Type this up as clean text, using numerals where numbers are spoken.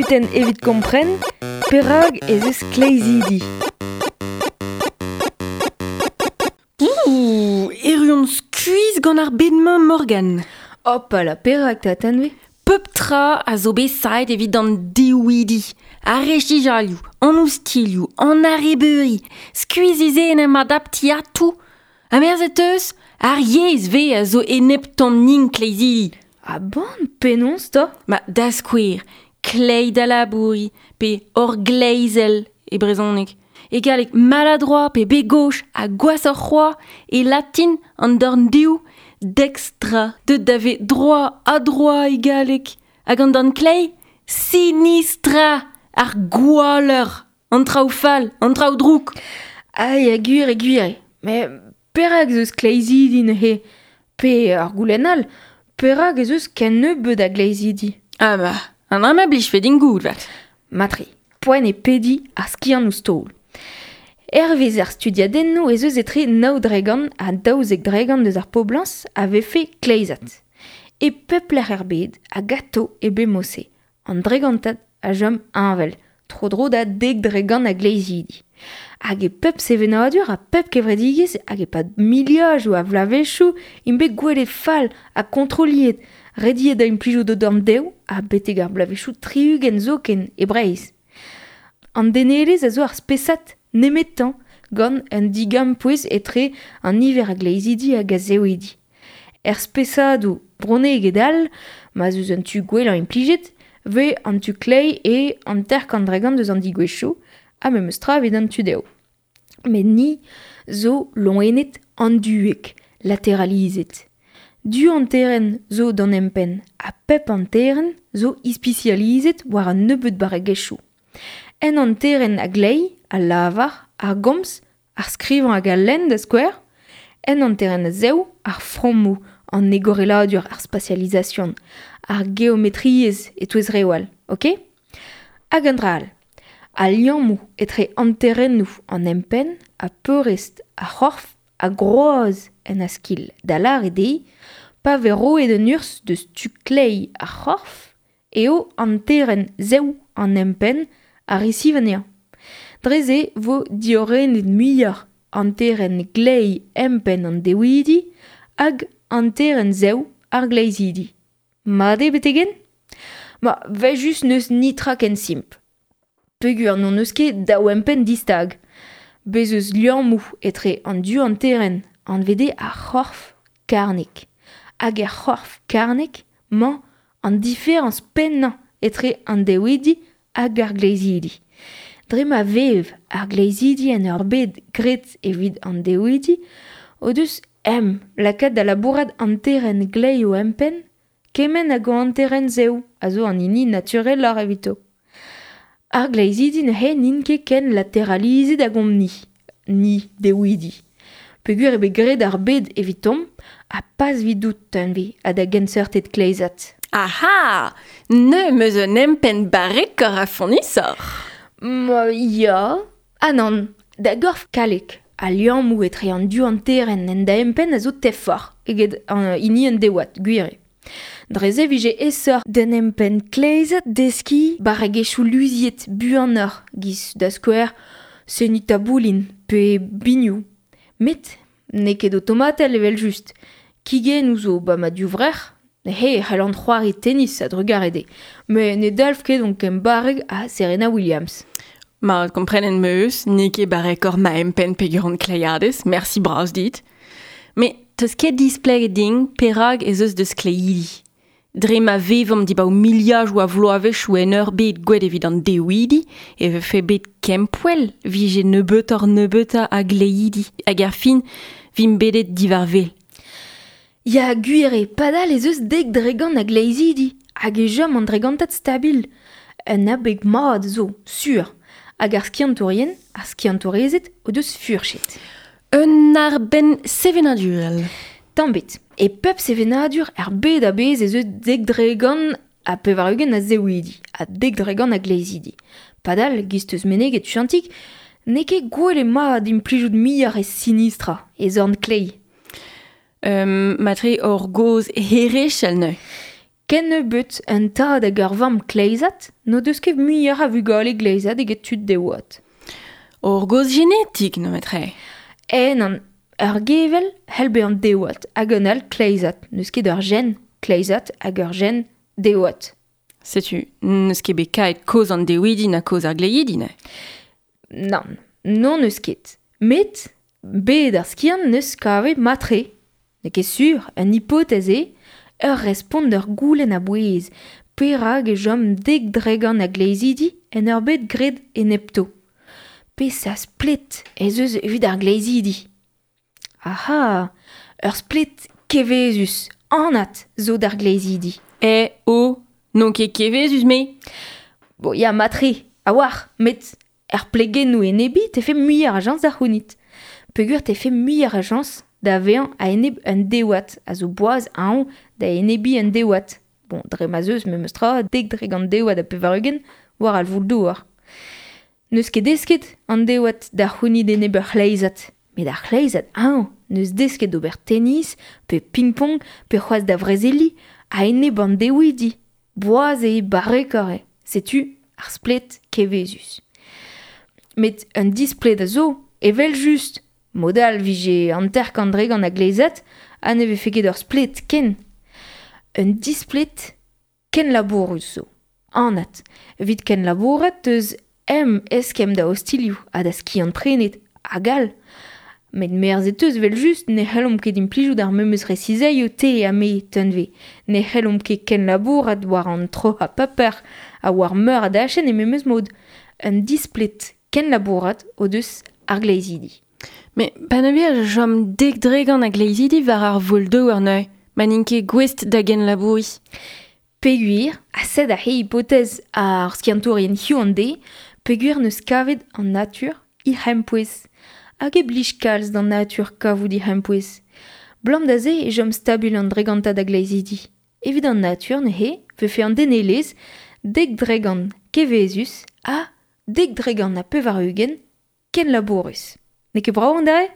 kudenn evit kompren perak ez eus kleizidi. Ouh, erru on skuizh gant ar bed-mañ, Morgan. Hopala, perak 'ta, Tanvi? Pep tra a zo bet saet evit an dewidi, ar rechijalioù, an oustilhoù, an arrebeuri, skuizh en em adaptiñ atav. Ha merzet 'teus, ar yezh 'vez a zo eneptomp-nin kleizidi. Ah bon, penaos 'ta? Ma, da skouer, kleiz da labouriñ pe orgleizel e brezhoneg. E galleg maladroit pe begauche ha gwashoc'h c'hoazh e latin an dorn dehoù dextra deuet da vezañ droit adroit e galleg hag an dorn kleiz sinistra ar gwalleur an traoù fall an traoù drouk. Ah ya gwir eo gwir eo. Met perak ez eus kleizidi neuze? Pe ur goulenn all, perak ez eus ken nebeut a gleizidi? Ah bah, an dra ma blijfe din goût 'vat. Matre, poent eo pediñ ar skiant ouzh taol. Hervez ar studiadennoù ez eus etre 9% ha 12% eus ar poblañs a vefe kleizat. E pep lec'h er bed hag atao e bet mod-se. An dregantad a chom heñvel, tro-dro da 10% a gleizidi. Hag e pep sevenadur ha pep kevredigezh hag e-pad miliadoù a vloavezhioù int bet gwelet fall ha kontroliet, rediet da implijout o dorn dezho ha betek ar bloavezhioù 60 zoken e Breizh. An denelezh a zo ar spesad nemetañ gant un digampouez etre an niver a gleizidi hag a zewidi. Er spesadoù bronneged all, ma'z eus un tu gwellañ implijet, 'vez an tu kleiz e 50% eus an degouezhioù, ha memes tra evit an tu dezho. Met ni zo loened anduek, lateralizet. Du hanterenn zo d'an empenn ha pep hanterenn zo ispisializet war un nebeud barregezhioù. En hanterenn a-gleiz, al lavar, ar gomz, ar skrivañ hag al lenn da skouer. En hanterenn a-zehoù, ar frammoù, an egoreladur, ar spatializasion, ar geometriezh e-touez reoù all, ok? Hag un dra all, al liammoù etre hanterennoù an empenn ha peurrest ar c'horf a groaz en askil, da lâret eo, pa vez roet un urzh deus tu kleiz ar c'horf eo hanterenn zev an empenn a resiv anezhañ. Dre-se 'vo diorrenet muioc'h hanterenn gleiz empenn an dewidi hag hanterenn zev ar gleizidi. Mat eo betek-henn? Ma, 'vel-just n'eus netra ken simpl. Peogwir n'hon eus ket daou empenn distag. Bez' eus liammoù etre an du hanterenn anvet eo ar c'horf karnek. Hag er c'horf karnek 'mañ an diferañs pennañ etre an dewidi hag ar gleizidi. Dre ma vev ar gleizidi en ur bed graet evit an dewidi o deus em lakaet da labourat hanterenn gleiz o empenn kement hag o hanterenn zev a zo an hini natureloc'h evito. Ar gleizidi neuze n'int ket ken lateralizet hag omp-ni, ni dewidi. Peogwir eo bet graet ar bed evitomp ha pas evidout Tanvi ha da genseurted kleizat. Aha! Neuze 'm eus un empenn barrekoc'h ha fonnusoc'h. Ma ya ha nann, da gorf kalek. Al liammoù etre an div hanterenn en da empenn a zo tefoc'h eget hini an deouad, gwir eo. Dre-se e vije aesoc'h d'an empenn kleizat deskiñ barregezhioù luziet buanoc'h 'giz da skouer seniñ taboulin pe binioù. Met n'eo ket otomatel evel-just. Kigennoù zo 'ba ma divrec'h, he e c'hellan c'hoari tennis a-drugarez dezhe. Met ne dalv ket on ken barrek ha Serena Williams. Mat, komprenet 'm eus, n'eo ket barrekoc'h ma empenn peger on kleiadez, mersi bras dit. Met 'teus ket displeget din perak ez eus deus kleidi. Dre ma vevomp dibaoe miliadoù a vloavezhioù en ur bed gwelet evit an dewidi e vefe bet kempoell 'vije nebeutoc'h-nebeutañ a gleidi hag er fin 'vimp bedet diwar wel. Ya, gwir eo, padal ez eus 10% a gleizidi hag e chom an dregantad stabil. Un abeg mat zo, sur. Hag ar skiantourien, ar skiantourezed o deus furchet. Un arbenn sevenadurel. Tamm ebet. E pep sevenadur er bed a-bezh ez eus 90% a zewidi ha 10% a gleizidi. Padal, 'giz 'teus meneget Chantig, n'eo ket gwell eo mat implijout muioc'h e sinistra, e zorn kleiz. Matre hor gozh herechel neuze. Ken nebeut un tad hag ur vamm kleizat n'o deus ket muioc'h a vugale gleizat eget tud deoat. Ur gaoz genetik, nemetre. E nann, ur gevel c'hell bezañ deoat hag un all kleizat. N'eus ket ur gen kleizat hag ur gen deoat. Setu, n'eus ket bet kaet kaoz an dewidi na kaoz ar gleidi, ne? Nann, non n'eus ket. Met, bet ar skiant n'eus kavet matre. N'eo ket sur, un hypothèse eo, ur respont d'ur goulenn a-bouez. Perak e chom 10% a gleizidi en ur bed graet enepto. Peseurt splet ez eus evit ar gleizidi? Aha, ur splet kevezus, anat zo d'ar gleizidi. E, o, n'on ket kevezus me. Bon, ya matre, a-walc'h, met er plegennoù enebi tefe muioc'h a jañs da c'hounit. Peogwir tefe muioc'h a jañs da vezañ a-enep un deouad, a zo boaz añv da enebiñ un deouad. Bon, dre ma 'z eus memes tra 10% deouad ha 80 war al voul-douar. N'eus ket desket an deouad da c'hounit enep ur c'hleizad. Met ar c'hleizad añv n'eus desket d'ober tennis, pe ping-pong, pe c'hoazh da vrezeliñ, a-enep an deouidi. Boaz eo barrekoc'h eo. Setu ar splet kevezus. Met un displet a zo, evel-just. Mod all 'vije 50% a gleizad ha ne vefe ket ur splet ken. Un displet kenlabourus zo. Anat. Evit kenlabourat 'teus em eskemm da ostilhoù ha da skiant-prenet hag all. Met merzet 'teus evel-just ne c'hellomp ket implijout ar memes resizaioù te ha me, Tunve. Ne c'hellomp ket kenlabourat war an troc'hañ paper ha war meur a dachenn e memes mod. Un displet kenlabourat o deus ar gleizidi. Met pa ne vez chom 10% a gleizidi war ar voul-douar neuze, ma n'int ket gouest da genlabouriñ. Peogwir, ha sed aze hipotez ar skiantourien hiziv an deiz, peogwir n'eus kavet an natur he c'hempouez. Hag e blij kalz d'an natur kavout he c'hempouez. Blam da se e chom stabil an dregantad a gleizidi. Evit an natur neuze 'vefe an denelezh 10% kevezus ha 90% kenlabourus. N'eo ket brav an dra-se?